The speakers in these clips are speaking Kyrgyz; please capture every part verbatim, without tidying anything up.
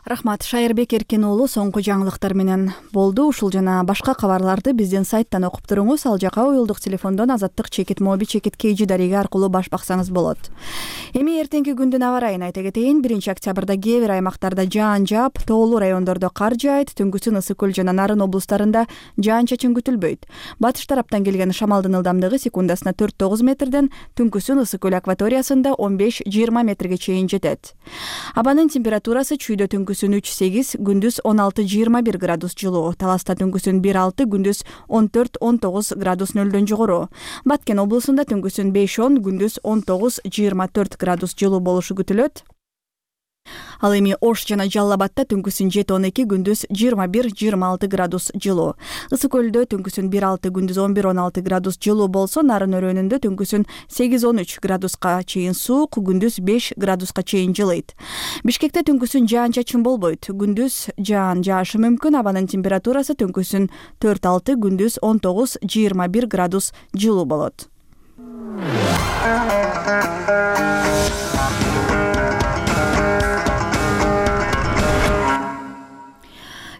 Рахмат. Шайырбек Эркен уулу соңку жаңылыктар менен болду. Ушул жана башка кабарларды биздин сайттан окуп туруңуз. Ал жака уюлдук телефондон азаттык чекит моби чекит кейжи дареги аркылуу баш баксаңыз болот. Эми эртеңки күндүн аба ырайын айта кетейин. биринчи октябрда кээ бир аймактарда жаан жаап, тоолуу райондордо кар жаайт. Түнкүсүн Ысык көл жана Нарын облустарында жаан-чачын күтүлбөйт. Батыш тараптан келген шамалдын ылдамдыгы секундасына төрт тогуз метрден, түнкүсүн Ысык көл акваториясында он беш жыйырма метрге чейин жетет. Абанын температурасы чүйдө түнкүсүн үч сегиз, күндүз он алты жыйырма бир градус жылуу. Таласта түнкүсүн бир алты, күндүз он төрт он тогуз градус нөлдөн жогору. Баткен облусунда түнкүсүн беш он, күндүз он тогуз жыйырма төрт градус жылуу болушу күтүлөт. Ал эми Ош жана Жалал Абадта түнкүсүн жети он эки, күндүз жыйырма бир жыйырма алты градус жылуу. Ысык көлдө түнкүсүн бир алты, күндүз он бир он алты градус жылуу болсо, Нарын өрөөнүндө түнкүсүн сегиз он үч градуска чейин суук, күндүз беш градуска чейин жылыйт. Бишкекте түнкүсүн жаан-чачын болбойт. Күндүз жаан жаашы мүмкүн. Абанын температурасы түнкүсүн төрт алты, күндүз он тогуз жыйырма бир градус жылуу болот.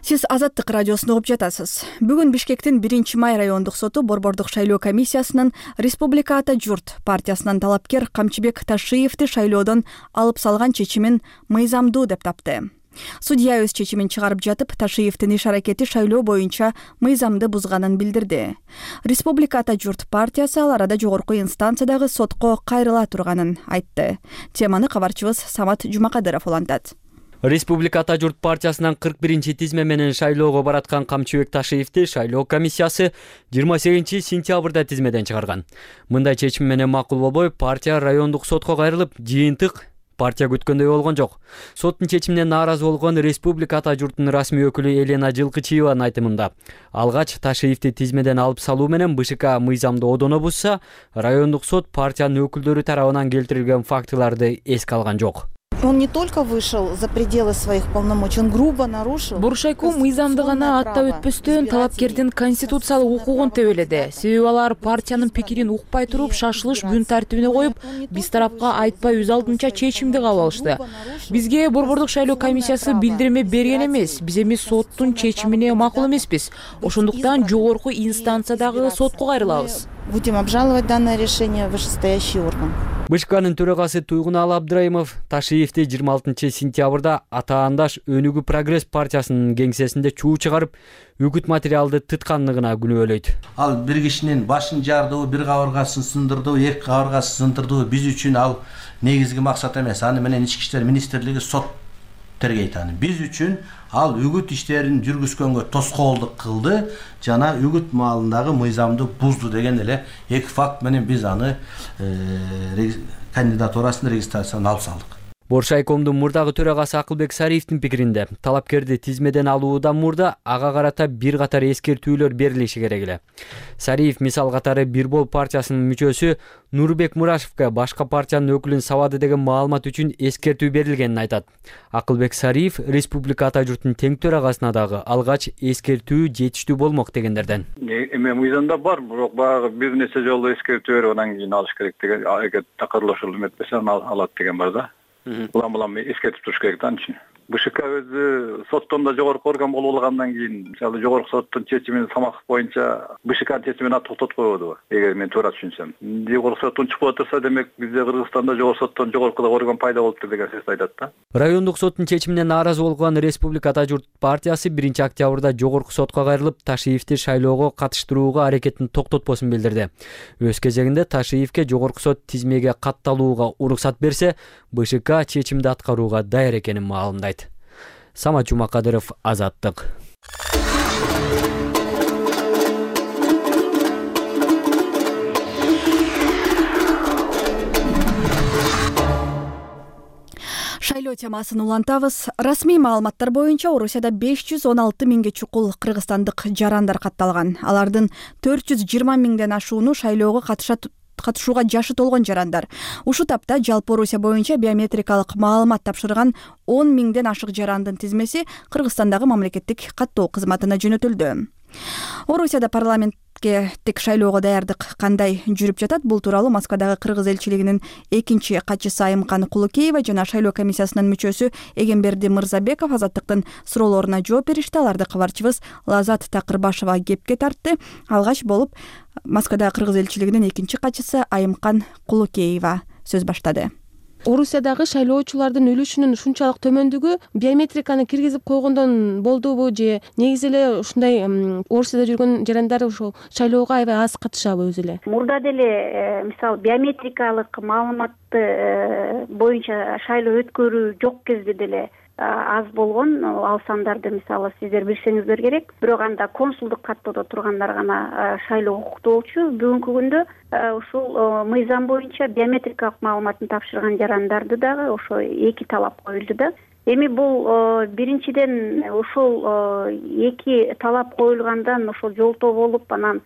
Сиз Азаттык радиосун угуп жатасыз. Бүгүн Бишкектин биринчи май райондук соту Борбордук шайлоо комиссиясынын Республика Ата журт партиясынан талапкер Камчыбек Ташиевди шайлоодон алып салган чечимин мыйзамдуу деп тапты. Судья өз чечимин чыгарып жатып, Ташиевдин иш аракети шайлоо боюнча мыйзамды бузганын билдирди. Республика Ата журт партиясы ал арада жогорку инстанциядагы сотко кайрыла турганын айтты. Теманы кабарчыбыз Самат Жумакадыров улантат. Республика Ата журт партиясынан кырк биринчи тизме менен шайлоого бараткан Камчыбек Ташиевди шайлоо комиссиясы жыйырма сегизинчи сентябрда тизмеден чыгарган. Мындай чечим менен макул болбой, партия райондук сотко кайрылып, жыйынтык партия күткөндөй болгон жок. Соттун чечимине нааразы болгон Республика Ата журтунун расмий өкүлү Елена Жылкычиеванын айтымында, алгач Ташиевди тизмеден алып салуу менен БШК мыйзамды одоно бузса, райондук сот партиянын өкүлдөрү тарабынан келтирилген фактыларды эске алган жок. Он не только вышел за пределы своих полномочий, он грубо нарушил. Буршайком мыйзамды гана аттап өтпөстөн талапкердин конституциялык укугун тебеледи. Себеби алар партиянын пикирин укпай туруп шашылыш күн тартибине коюп, биз тарапка айтпай өз алдынча чечимди кабыл алышты. Бизге Борбордук шайлоо комиссиясы билдирме берген эмес. Биз эми соттун чечимине макул эмеспиз. Ошондуктан жогорку инстанциядагы сотко кайрылабыз. Будем обжаловать данное решение в вышестоящий орган. БШКнын төрагасы Туйгунал Абдрайымов Ташиевди жыйырма алтынчы сентябрда атаандаш Өнүгүү прогресс партиясынын кеңсесинде чуу чыгарып, үгүт материалды тытканлыгына күнөөлөйт. Ал бир кишинин башын жардыбы, бир кабыргасын сындырдыбы, эки кабыргасын сындырдыбы биз үчүн ал негизги максат эмес. Аны менен Ички иштер министрлиги сот тергейт аны. Биз үчүн ал үгүт иштерин жүргүзгөнгө тоскоолдук кылды жана үгүт маалындагы мыйзамды бузду деген эле эки факт менен биз аны кандидатурасын регистрациядан алып салдык. Боршайкомдун мурдагы төрагасы Акылбек Сариевдин пикиринде, талапкерди тизмеден алуудан мурда ага карата бир катар эскертүүлөр берилиши керек эле. Сариев мисал катары Бирбол партиясынын мүчөсү Нурбек Мурашевке башка партиянын өкүлүн сабады деген маалымат үчүн эскертүү берилгенин айтат. Акылбек Сариев Республика Ата журтунун тең төрагасына дагы алгач эскертүү жетиштүү болмок дегендерден. Эми мыйзамда бар, бирок баягы бир нече жолу эскертүү берип анан кийин алыш керек деген, эгер такырлаш эметпесе алат деген бар да. Улам улам эскертип туруш керек да анчы. БШК өзү соттон да жогорку орган болуп алгандан кийин, мисалы жогорку соттун чечимин Самахов боюнча БШКнын чечимин токтотуп койбодубу? Эгер мен туура түшүнсөм. Жогорку соттон чыгып отурса, демек бизде Кыргызстанда жогорку соттон жогорку орган пайда болуптур деген сөздү айтат да. Райондук соттун чечимине нааразы болгон Республика Ата журт партиясы биринчи октябрда жогорку сотко кайрылып, Ташиевди шайлоого катыштырууга аракетин токтотпосун билдирди. Өз кезегинде Ташиевге жогорку сот тизмеге катталууга уруксат берсе, БШК чечимди аткарууга даяр экенин маалымдайт. Самат Жумакадыров, Азаттык. Шайлоо темасын улантабыз. Расмий маалыматтар боюнча Орусияда беш жүз он алты миңге чукул кыргызстандык жарандар катталган. Алардын төрт жүз жыйырма миңден ашууну шайлоого катышат катышууга жашы толгон жарандар. Ушу тапта жалпы Орусия боюнча биометрикалык маалымат тапшырган он миңден ашык жарандын тизмеси Кыргызстандагы мамлекеттик каттоо кызматына жөнөтүлдү. Орусияда парламентке тек шайлоого даярдык кандай жүрүп жатат? Бул тууралуу Москвадагы кыргыз элчилигинин экинчи катчысы Айымкан Кулукеева жана шайлоо комиссиясынын мүчөсү Эгемберди Мырзабеков Азаттыктын суроолоруна жооп беришти. Аларды кабарчыбыз Лазат Такырбашева кепке тартты. Алгач болуп Москвадагы кыргыз элчилигинин экинчи катчысы Айымкан Кулукеева сөз баштады. Орусиядагы шайлоочулардын үлүшүнүн ушунчалык төмөндүгү биометриканы киргизип койгондон болдубу же негизи эле ушундай Орусияда жүргөн жарандар ушул шайлоого аябай аз катышабы өзү эле? Мурда деле мисалы биометрикалык маалыматты боюнча шайлоо өткөрүү жок кезде деле аз болгон. Ал сандарды мисалы сиздер билсеңиздер керек. Бирок анда консулдук каттоодо тургандар гана шайлоо укуктуу болчу. Бүгүнкү күндө ушул мыйзам боюнча биометрикалык маалыматын тапшырган жарандарды дагы ошо эки талап коюлду да. Эми бул биринчиден ушул эки талап коюлгандан ошол жолтоо болуп анан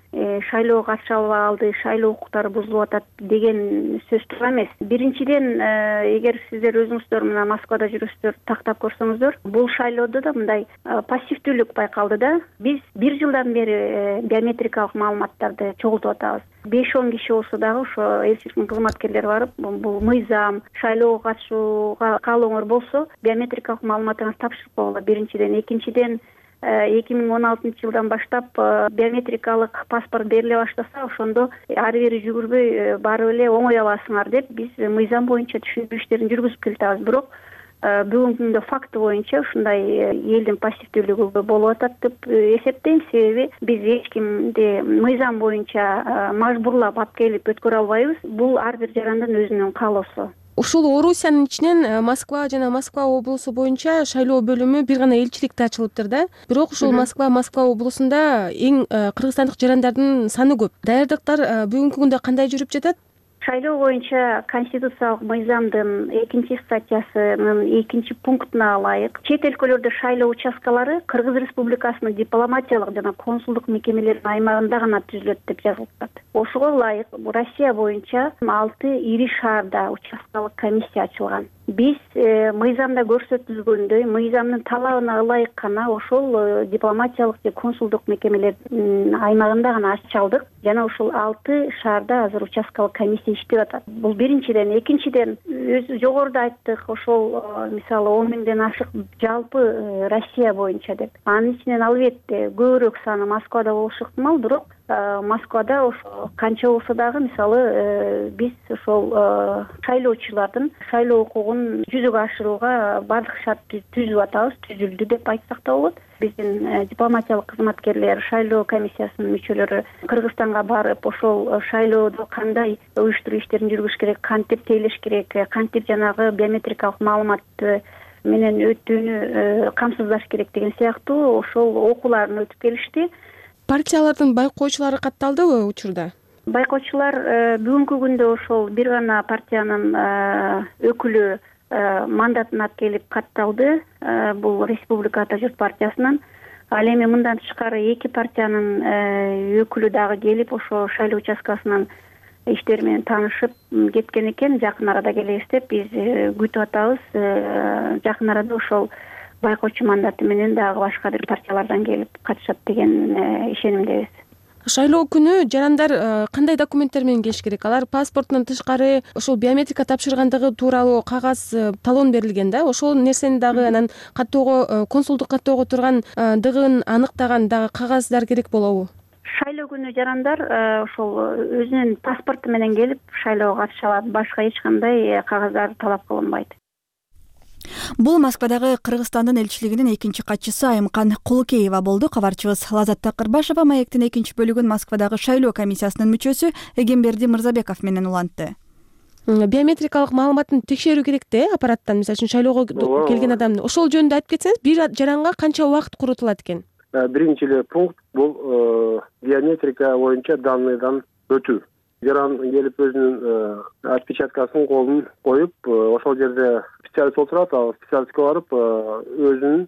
шайлоого катыша албай шайлоо укуктары бузулуп атат деген сөз туура эмес. Биринчиден эгер сиздер өзүңүздөр мына Москвада жүрөсүздөр, тактап көрсөңүздөр, бул шайлоодо да мындай пассивдүүлүк байкалды да. Биз бир жылдан бери биометрикалык маалыматтарды чогултуп атабыз. беш он киши болсо дагы ошо элчиликтин кызматкерлери барып бул мыйзам шайлоого катышууга каалооңор болсо биометрикалык маалыматыңызды тапшырып койгула. Биринчиден, экинчиден эки миң он алтынчы жылдан баштап биометрикалык паспорт бериле баштаса ошондо ары бери жүгүрбөй барып эле оңой аласыңар деп биз мыйзам боюнча түшүндүрүү иштерин жүргүзүп келатабыз. Бирок бүгүнкү күндө факты боюнча ушундай элдин пассивдүүлүгү болуп атат деп эсептейм. Себеби биз эч кимди мыйзам боюнча мажбурлап алып келип өткөрө албайбыз. Бул ар бир жарандын өзүнүн каалоосу. Ушул Орусиянын ичинен Москва жана Москва облусу боюнча шайлоо бөлүмү бир гана элчиликте ачылыптыр да. Бирок ушул Москва Москва облусунда эң кыргызстандык жарандардын саны көп. Даярдыктар бүгүнкү күндө кандай жүрүп жатат? Шайлоо боюнча конституциялык мыйзамдын экинчи статьясынын экинчи пунктуна ылайык чет өлкөлөрдө шайлоо участкалары Кыргыз Республикасынын дипломатиялык жана консулдук мекемелеринин аймагында гана түзүлөт деп жазылып атат. Ошого ылайык Россия боюнча алты ири шаарда участкалык комиссия ачылган. Биз мыйзамда көрсөтүлгөндөй мыйзамдын талабына ылайык гана ошол дипломатиялык же консулдук мекемелердин аймагында гана ачалдык жана ушул алты шаарда азыр участкалык комиссия иштеп атат. Бул биринчиден. Экинчиден, өзү жогоруда айттык, ошол мисалы он миңден ашык жалпы Россия боюнча деп. Анын ичинен албетте көбүрөөк саны Москвада болушу ыктымал, бирок Москвада ошо канча болсо дагы мисалы биз ошол шайлоочулардын шайлоо укугун жүзөгө ашырууга бардык шарт түзүп атабыз, түзүлдү деп айтсак да болот. Биздин дипломатиялык кызматкерлер, шайлоо комиссиясынын мүчөлөрү Кыргызстанга барып, ошол шайлоодо кандай уюштуруу иштерин жүргүзүш керек, кантип тейлеш керек, кантип жанагы биометрикалык маалыматты менен өтүүнү камсыздаш керек деген сыяктуу ошол окууларын өтүп келишти. Партиялардын байкоочулары катталдыбы учурда? Байкоочулар бүгүнкү күндө ошол бир гана партиянын өкүлү мандатын алып келип катталды. Бул Республика Ата журт партиясынан. Ал эми мындан тышкары эки партиянын өкүлү дагы келип ошо шайлоо участкасынын иштери менен таанышып кеткен экен. Жакын арада келебиз деп биз күтүп атабыз. Жакын арада ошол байкоочу мандаты менен дагы башка бир партиялардан келип катышат деген ишенимдебиз. Шайлоо күнү жарандар кандай документтер менен келиш керек? Алар паспортунан тышкары ошол биометрика тапшыргандыгы тууралуу кагаз, талон берилген да. Ошол нерсени дагы анан каттоого, консулдук каттоого тургандыгын аныктаган дагы кагаздар керек болобу? Шайлоо күнү жарандар ошол өзүнүн паспорту менен келип шайлоого катыша алат. Башка эч кандай кагаздар талап кылынбайт. Бул Москвадагы Кыргызстандын элчилигинин экинчи катчысы Айымкан Кулукеева болду. Кабарчыбыз Лазат Такырбашева маектин экинчи бөлүгүн Москвадагы шайлоо комиссиясынын мүчөсү Эгемберди Мырзабеков менен улантты. Биометрикалык маалыматын текшерүү керек да, аппараттан, мисалы үчүн шайлоого келген адамды. Ошол жөнүндө айтып кетсеңиз, бир жаранга канча убакыт коротулат экен? Биринчи эле пункт бул биометрика боюнча данныйдан өтүү. Жаран келип өзүнүн отпечаткасын колун коюп, ошол жерде специалист отурат, ал специалистке барып өзүнүн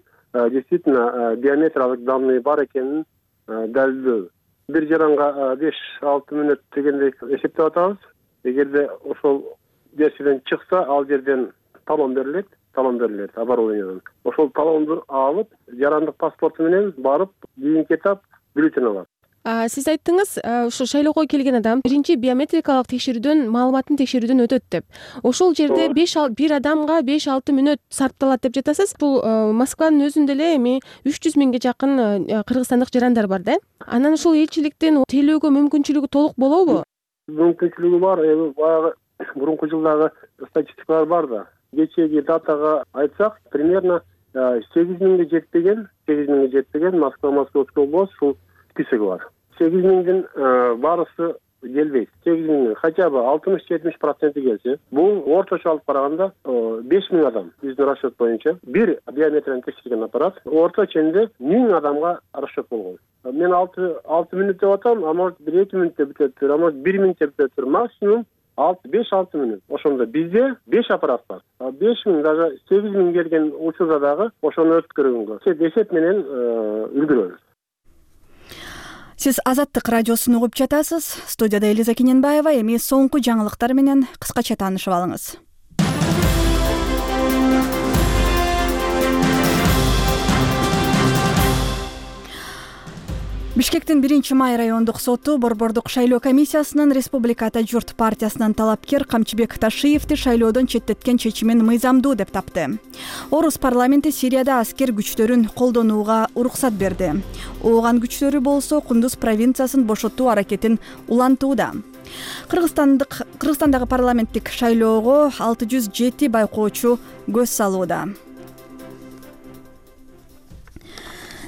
действительно биометриялык данные бар экенин далилдөө. Бир жаранга беш алты мүнөт дегендей эсептеп атабыз. Эгерде ошол нерседен чыкса, ал жерден талон берилет, талон берилет оборудованиядан. Ошол талонду алып, жарандык паспорту менен барып, кийинки этап бюллетень алат. Сиз айттыңыз, ушу шайлоого келген адам биринчи биометрикалык текшерүүдөн маалыматын текшерүүдөн өтөт деп. Ошол жерде беш бир адамга беш алты мүнөт сарпталат деп жатасыз. Бул Москванын өзүндө эле эми үч жүз миңге жакын кыргызстандык жарандар бар да. Анан ушул элчиликтен тейлөөгө мүмкүнчүлүгү толук болобу? Мүмкүнчүлүгү бар. Эми баягы мурунку жылдагы статистикалар бар да. Кечеги датага айтсак, примерно сегиз миңге жетпеген, сегиз миңге жетпеген Москва Московский область ушул списоги бар. сегиз миңдин баарысы келбейт. сегиз миң хотя бы алтымыш жетимиш проценти келсе, бул орточо алып караганда беш миң адам биздин расчет боюнча бир биометрияны текшерген аппарат орто ченде миң адамга расчет болгон. Мен алты мүнөт деп атам, а может бир эки мүнөттө бүтөттүр, а может бир минутта бүтөттүр, максимум беш алты мүнөт. Ошондо бизде беш аппарат бар. беш миң даже сегиз миң келген учурда дагы ошону өткөргөнгө эсеп менен үлгүрөбүз. Сиз Азаттык радиосун угуп жатасыз. Студияда Элиза Кененбаева. Эми соңку жаңылыктар менен кыскача таанышып алыңыз. Бишкектин биринчи май райондук соту Борбордук шайлоо комиссиясынын Республика Ата журт партиясынын талапкер Камчыбек Ташиевди шайлоодон четтеткен чечимин мыйзамдуу деп тапты. Орус парламенти Сирияда аскер күчтөрүн колдонууга уруксат берди. Ооган күчтөрү болсо Кундуз провинциясын бошотуу аракетин улантууда. Кыргызстандык Кыргызстандагы парламенттик шайлоого алты жүз жети байкоочу көз салууда.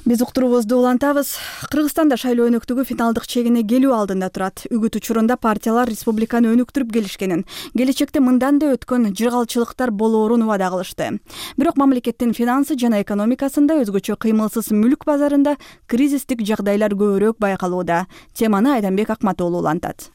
Биз уктуруубузду улантабыз. Кыргызстанда шайлоо өнөктүгү финалдык чегине келүү алдында турат. Үгүт учурунда партиялар республиканы өнүктүрүп келишкенин, келечекте мындан да өткөн жыргалчылыктар болоорун убада кылышты. Бирок мамлекеттин финансы жана экономикасында өзгөчө кыймылсыз мүлк базарында кризистик жагдайлар көбүрөөк байкалууда. Теманы Айданбек Акматоолу улантат.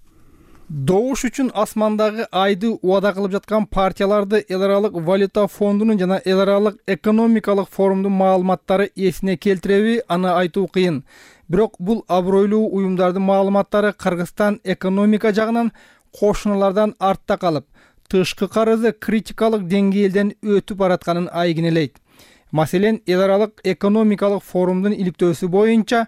Добуш үчүн асмандагы айды убада кылып жаткан партияларды эл аралык валюта фондунун жана эл аралык экономикалык форумдун маалыматтары эсине келтиреби, аны айтуу кыйын. Бирок бул абройлуу уюмдардын маалыматтары Кыргызстан экономика жагынан кошуналардан артта калып, тышкы карызы критикалык деңгээлден өтүп баратканын айгинелейт. Маселен, эл аралык экономикалык форумдун иликтөөсү боюнча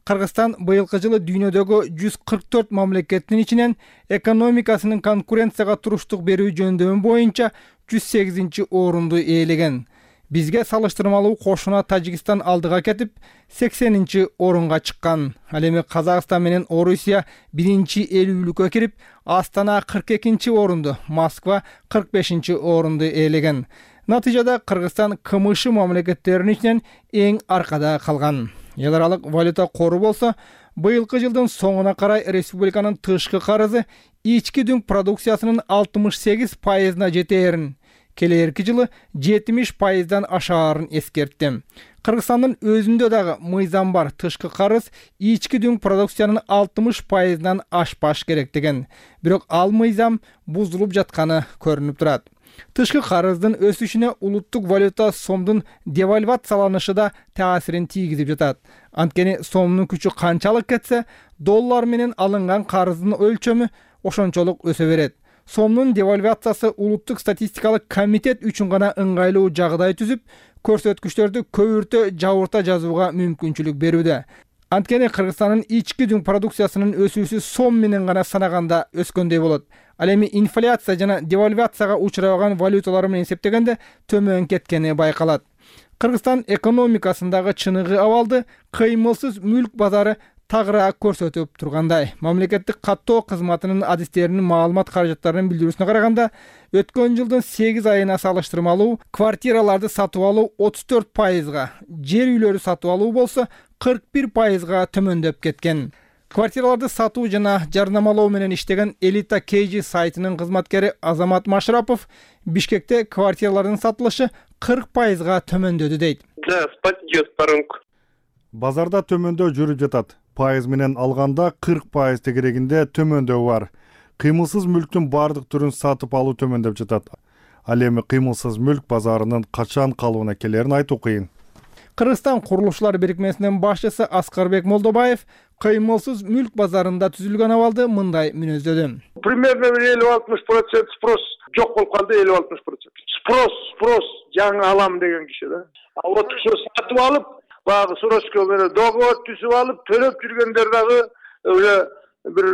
Кыргызстан быйылкы жылы дүйнөдөгү жүз кырк төрт мамлекеттин ичинен экономикасынын конкуренцияга туруштук берүү жөндөмү боюнча жүз сегизинчи орунду ээлеген. Бизге салыштырмалуу кошуна Тажикстан алдыга кетип, сексенинчи орунга чыккан. Ал эми Казакстан менен Орусия биринчи элүүлүккө кирип, Астана кырк экинчи орунду, Москва кырк бешинчи орунду ээлеген. Натыйжада Кыргызстан КМШ мамлекеттеринин ичинен эң аркада калган. Эл аралык валюта кору болсо, быйылкы жылдын соңуна карай республиканын тышкы карызы ички дүң продукциясынын алтымыш сегиз пайызына жетээрин, келээрки жылы жетимиш пайыздан ашаарын эскертти. Кыргызстандын өзүндө дагы мыйзам бар, тышкы карыз ички дүң продукциянын алтымыш пайызынан ашпаш керек деген. Бирок ал мыйзам бузулуп жатканы көрүнүп турат. Тышкы карыздын өсүшүнө улуттук валюта сомдун девальвацияланышы да таасирин тийгизип жатат. Анткени сомдун күчү канчалык кетсе, доллар менен алынган карыздын өлчөмү ошончолук өсө берет. Сомдун девальвациясы улуттук статистикалык комитет үчүн гана ыңгайлуу жагдай түзүп, көрсөткүчтөрдү көбүртө жабырта жазууга мүмкүнчүлүк берүүдө. Анткени Кыргызстандын ички дүң продукциясынын өсүүсү сом менен гана санаганда өскөндөй болот. Ал эми инфляция жана девальвацияга учурабаган валюталар менен эсептегенде төмөн кеткени байкалат. Кыргызстан экономикасындагы чыныгы абалды кыймылсыз мүлк базары тагыраак көрсөтүп тургандай. Мамлекеттик каттоо кызматынын адистеринин маалымат каражаттарынын билдирүүсүнө караганда, өткөн жылдын сегиз айына салыштырмалуу квартираларды сатып алуу отуз төрт пайызга, жер үйлөрү сатып алуу болсо кырк бир пайызга төмөндөп кеткен. Квартираларды сатуу жана жарнамалоо менен иштеген Элита кей джи сайтынын кызматкери Азамат Машрапов Бишкекте квартиралардын сатылышы кырк пайызга төмөндөдү дейт. Базарда төмөндөө жүрүп жатат. Пайыз менен алганда кырк пайыз тегерегинде төмөндөө бар. Кыймылсыз мүлктүн бардык түрүн сатып алуу төмөндөп жатат. Ал эми кыймылсыз мүлк базарынын качан калыбына келерин айтуу кыйын. Кыргызстан курулушчулар бирикмесинин башчысы Аскарбек Молдобаев кыймылсыз мүлк базарында түзүлгөн абалды мындай мүнөздөдү. Примерно элүү алтымыш процент спрос жок болуп калды, элүү алтымыш процент. Спрос, спрос жаңы алам деген киши да. А вот ошо сатып алып, баягы срочка менен договор түзүп алып төлөп жүргөндөр дагы уже бир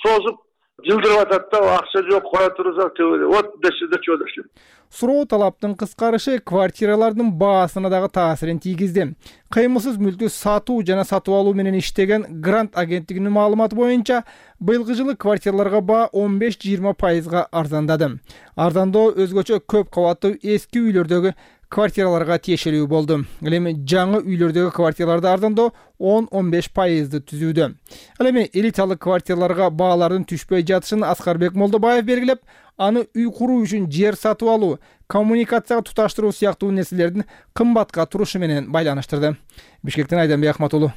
созуп жылдырып атат да, акча жок, кое турсак вот дешиде чөдөшү. Суроо талаптын кыскарышы квартиралардын баасына дагы таасирин тийгизди. Кыймылсыз мүлктү сатуу жана сатып алуу менен иштеген Грант агенттигинин маалыматы боюнча быйылкы жылы квартираларга баа он беш жыйырма пайызга арзандады. Арзандоо өзгөчө көп кабаттуу эски үйлөрдөгү квартираларга тиешелүү болду. Ал эми жаңы үйлөрдөгү квартираларды арзандоо он он беш пайызды түзүүдө. Ал эми элиталык квартираларга баалардын түшпөй жатышын Аскарбек Молдобаев белгилеп, аны үй куруу үчүн жер сатып алуу, коммуникацияга туташтыруу сыяктуу нерселердин кымбатка турушу менен байланыштырды. Бишкектен Айданбек Ахматулу.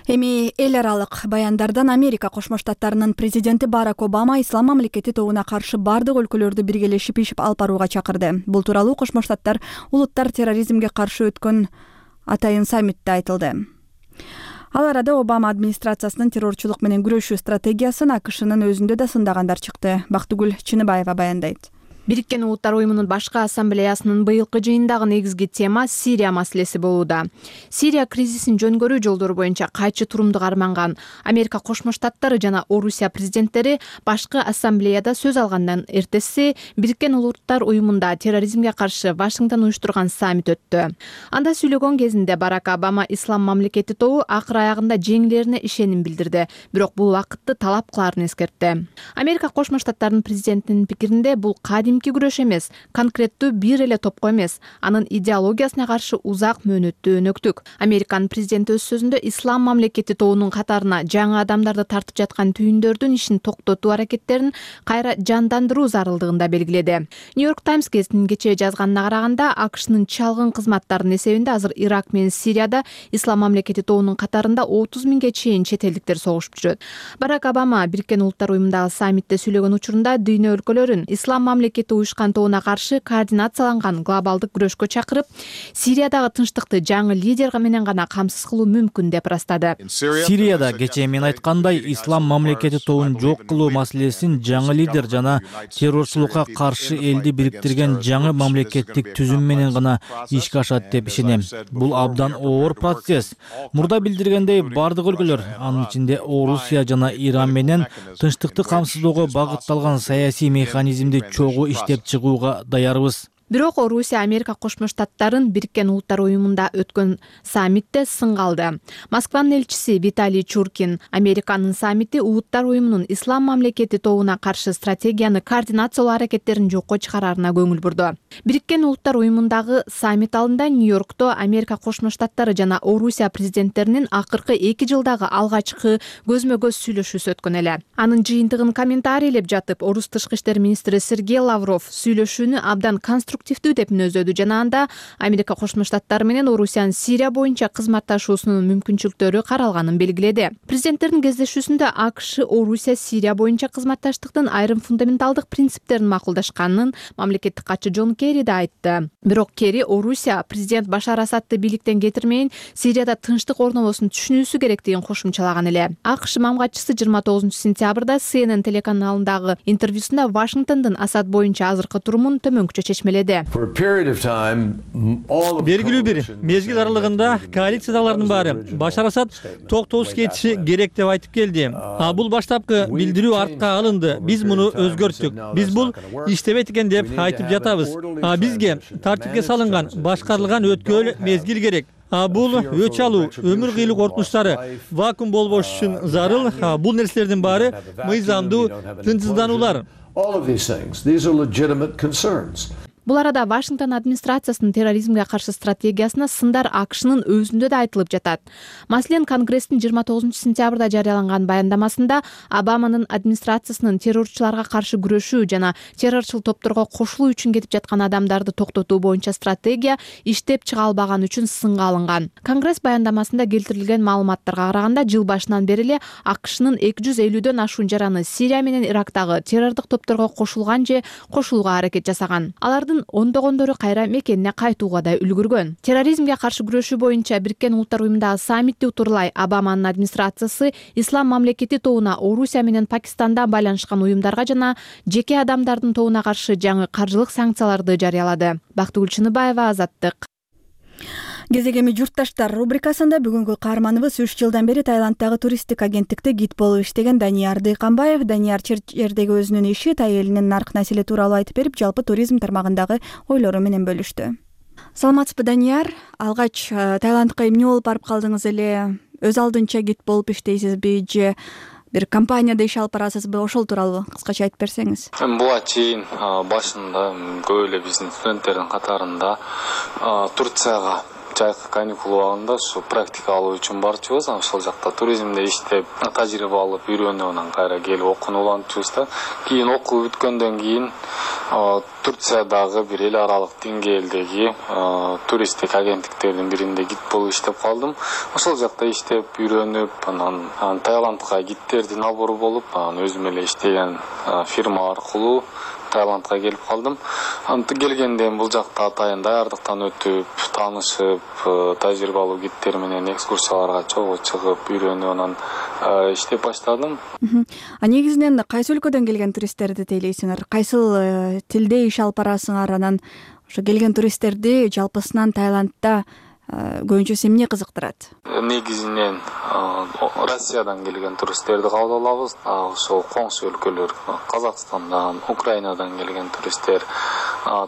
Эми эл аралык баяндардан Америка Кошмо Штаттарынын президенти Барак Обама ислам мамлекети тобуна каршы бардык өлкөлөрдү биргелешип иш алып барууга чакырды. Бул тууралуу Кошмо Штаттар улуттар терроризмге каршы өткөн атайын саммитте айтылды. Ал арада Обама администрациясынын террорчулук менен күрөшүү стратегиясын АКШнын өзүндө да сындагандар чыкты. Бактыгүл Чыныбаева баяндайт. Бириккен Улуттар уюмунун башкы ассамблеясынын быйылкы жыйындагы негизги тема Сирия маселеси болууда. Сирия кризисин жөнгөрүү жолдору боюнча кайчы турумду карманган Америка Кошмо Штаттары жана Орусия президенттери башкы ассамблеяда сөз алгандан эртеси Бириккен Улуттар уюмунда терроризмге каршы Вашингтон уюштурган саммит өттү. Анда сүйлөгөн кезинде Барак Обама ислам мамлекети тобу акыр аягында жеңилерине ишеним билдирди, бирок бул убакытты талап кылаарын эскертти. Америка Кошмо Штаттарынын президентинин пикиринде бул кадимки күрөш эмес, конкреттүү бир эле топко эмес, анын идеологиясына каршы узак мөөнөттүү өнөктүк. Американын президенти өз сөзүндө ислам мамлекети тобунун катарына жаңы адамдарды тартып жаткан түйүндөрдүн ишин токтотуу аракеттерин кайра жандандыруу зарылдыгын да белгиледи. Нью-Йорк Таймс газетинин кечээ жазганына караганда, АКШнын чалгын кызматтарынын эсебинде азыр Ирак менен Сирияда ислам мамлекети тобунун катарында отуз миңге чейин чет элдиктер согушуп жүрөт. Барак Обама Бириккен Улуттар уюмундагы саммитте сүйлөгөн учурунда дүйнө өлкөлөрүн ислам мамлекети уюшкан тобуна каршы координацияланган глобалдык күрөшкө чакырып, Сириядагы тынчтыкты жаңы лидер менен гана камсыз кылуу мүмкүн деп ырастады. Сирияда кечээ мен айткандай ислам мамлекети тобун жок кылуу маселесин жаңы лидер жана террорчулукка каршы элди бириктирген жаңы мамлекеттик түзүм менен гана ишке ашат деп ишенем. Бул абдан оор процесс. Мурда билдиргендей, бардык өлкөлөр, анын ичинде Орусия жана Иран менен тынчтыкты камсыздоого багытталган саясий механизмди чогуу иштеп чыгууга даярбыз. Бирок Орусия Америка Кошмо Штаттарын Бириккен Улуттар уюмунда өткөн саммитте сынга алды. Москванын элчиси Виталий Чуркин Американын саммити Улуттар уюмунун ислам мамлекети тобуна каршы стратегияны координациялоо аракеттерин жокко чыгараарына көңүл бурду. Бириккен Улуттар уюмундагы саммит алдында Нью-Йоркто Америка Кошмо Штаттары жана Орусия президенттеринин акыркы эки жылдагы алгачкы көзмө-көз сүйлөшүүсү өткөн эле. Анын жыйынтыгын комментарийлеп жатып, Орус тышкы иштер министри Сергей Лавров сүйлөшүүнү абдан конструктивдүү деп мүнөздөдү жана анда Америка Кошмо Штаттары менен Орусиянын Сирия боюнча кызматташуусунун мүмкүнчүлүктөрү каралганын белгиледи. Президенттердин кездешүүсүндө АКШ Орусия Сирия боюнча кызматташтыктын айрым фундаменталдык принциптерин макулдашканын мамлекеттик катчы Джон Керри да айтты. Бирок Керри Орусия президент Башар Асадты бийликтен кетирмейин, Сирияда тынчтык орнобосун түшүнүүсү керектигин кошумчалаган эле. АКШ мамгатчысы жыйырма тогузунчу сентябрда Си Эн Эн телеканалындагы интервьюсунда Вашингтондун Асад боюнча азыркы турумун төмөнкүчө чечмеледи. Белгилүү бир мезгил аралыгында коалициядагылардын баары Башар Асад токтоосуз кетиши керек деп айтып келди. А бул баштапкы билдирүү артка алынды. Биз муну өзгөрттүк. Биз бул иштебейт экен деп айтып жатабыз. А бизге тартипке салынган, башкарылган өткөл мезгил керек. А бул өч алуу, өмүр кыйлуу коркунучтары вакуум болбош үчүн зарыл. Бул нерселердин баары мыйзамдуу тынчсыздануулар. Бул арада Вашингтон администрациясынын терроризмге каршы стратегиясына сындар АКШнын өзүндө да айтылып жатат. Маселен, Конгресстин жыйырма тогузунчу сентябрда жарыяланган баяндамасында Обаманын администрациясынын террорчуларга каршы күрөшүү жана террорчул топторго кошулуу үчүн кетип жаткан адамдарды токтотуу боюнча стратегия иштеп чыга албаганы үчүн сынга алынган. Конгресс баяндамасында келтирилген маалыматтарга караганда, жыл башынан бери эле АКШнын эки жүз элүүдөн ашуун жараны Сирия менен Ирактагы террордук топторго кошулган же кошулууга аракет жасаган. Алардын ондогондору кайра мекенине кайтууга да үлгүргөн. Терроризмге каршы күрөшүү боюнча Бириккен Улуттар уюмундагы саммитти утурлай Обаманын администрациясы ислам мамлекети тобуна Орусия менен Пакистандан байланышкан уюмдарга жана жеке адамдардын тобуна каршы жаңы каржылык санкцияларды жарыялады. Бактыгүл Чыныбаева, Азаттык. Кезегеми журтташтар рубрикасында бүгүнкү каарманыбыз үч жылдан бери Таиландтагы туристтик агенттикте гид болуп иштеген Данияр Дыйканбаев. Данияр жердеги өзүнүн иши, тай элинин нарк населе тууралуу айтып берип, жалпы туризм тармагындагы ойлору менен бөлүштү. Саламатсызбы, Данияр? Алгач Таиландка эмне болуп барып калдыңыз эле? Өз алдынча гид болуп иштейсизби же бир компанияда иш алып барасызбы? Ошол тууралуу кыскача айтып берсеңиз. Буга чейин башында көп эле биздин студенттердин катарында Турцияга жайкы каникул убагында ушу практика алуу үчүн барчубуз. Ошол жакта туризмде иштеп, тажрыйба алып, үйрөнүп, анан кайра келип окууну улантчубуз да. Кийин окуу бүткөндөн кийин Турциядагы бир эл аралык деңгээлдеги туристтик агенттиктердин биринде гид болуп иштеп калдым. Ошол жакта иштеп, үйрөнүп, анан Таиландка гидтердин набору болуп, анан өзүм эле иштеген фирма аркылуу Таиландка келип калдым. Анты келгенден бул жакта атайын даярдыктан өтүп, таанышып, тажрыйбалуу гидтер менен экскурсияларга чогуу чыгып, үйрөнүп, анан иштеп баштадым. А негизинен кайсы өлкөдөн келген туристтерди тейлейсиңер? Кайсыл тилде иш алып барасыңар? Анан ошо келген туристтерди жалпысынан Таиландда көбүнчөсү эмне кызыктырат? Негизинен Россиядан келген туристтерди кабыл алабыз. Ошол коңшу өлкөлөр, Казакстандан, Украинадан келген туристтер,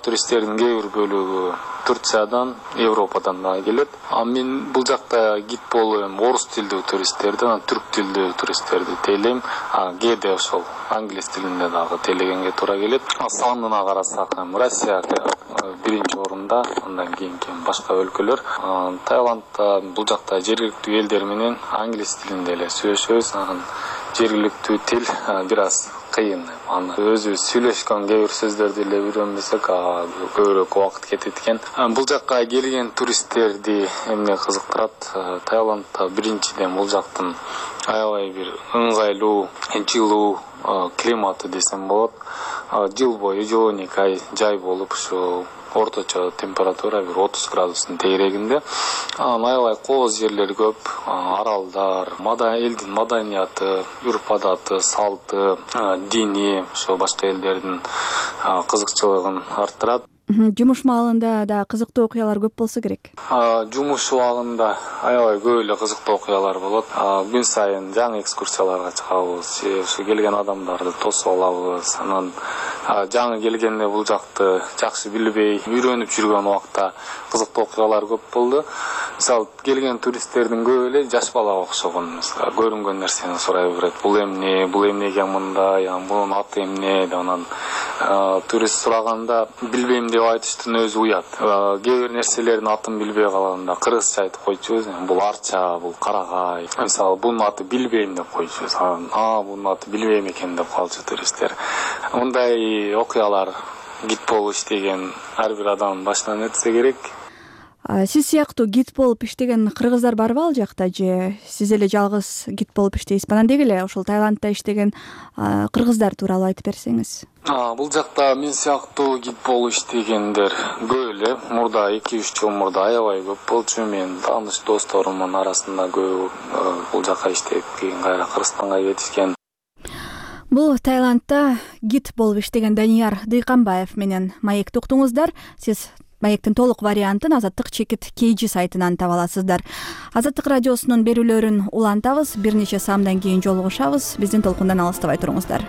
туристтердин кээ бир бөлүгү Турциядан, Европадан да келет. А мен бул жакта гид болуп, орус тилдүү туристтерди, анан түрк тилдүү туристтерди тейлейм. А кээде ошол англис тилинде дагы тейлегенге туура келет. Санына карасак, Россия биринчи орунда, андан кийин башка өлкөлөр. Таиландда бул жакта жергиликтүү элдер менен англис тилинде эле сүйлөшөбүз. Анан жергиликтүү тил бир аз кыйын. Аны өзүбүз сүйлөшкөн кээ бир сөздөрдү эле үйрөнбөсөк, көбүрөөк убакыт кетет экен. Бул жакка келген туристтерди эмне кызыктырат? Таиландда биринчиден бул жактын аябай бир ыңгайлуу, жылуу климаты десем болот. Жыл бою жыл он эки ай жай болуп, ушу орточо температура бир отуз градустун тегерегинде. Аябай кооз жерлер көп, аралдар, элдин маданияты, үрп адаты, салты, дини, ошо башка элдердин кызыкчылыгын арттырат. Жумуш маалында да кызыктуу окуялар көп болсо керек. Жумуш убагында аябай көп эле кызыктуу окуялар болот. Күн сайын жаңы экскурсияларга чыгабыз, ушу келген адамдарды тосуп алабыз. Анан жаңы келгенде бул жакты жакшы билбей, үйрөнүп жүргөн убакта кызыктуу окуялар көп болду. Мисалы, келген туристтердин көп эле жаш балага окшогон, көрүнгөн нерсени сурай берет. Бул эмне, бул эмнеге мындай, бунун аты эмне деп, анан турист сураганда билбейм деп айтыштын өзү уят. Кээ бир нерселердин атын билбей калганда кыргызча айтып койчубуз. Бул арча, бул карагай. Мисалы, бунун аты билбейм деп койчубуз. А, бунун аты билбейм экен деп калчу туристтер. Мындай окуялар гид болуп иштеген ар бир адамдын башынан өтсө керек. Сиз сыяктуу гид болуп иштеген кыргыздар барбы ал жакта, же сиз эле жалгыз гид болуп иштейсизби? Анан деги эле ошол Таиландда иштеген кыргыздар тууралуу айтып берсеңиз. Бул жакта мен сыяктуу гид болуп иштегендер көп эле. Мурда эки үч жыл мурда аябай көп болчу. Мен тааныш досторумдун арасында көп бул жака иштеп кийин кайра Кыргызстанга кетишкен. Бул Таиландда гид болуп иштеген Данияр Дыйканбаев менен маекти уктуңуздар. Сиз маектин толук вариантын Азаттык чекит кей жи сайтынан таба аласыздар. Азаттык радиосунун берүүлөрүн улантабыз. Бир нече саамдан кийин жолугушабыз. Биздин толкундан алыстабай туруңуздар.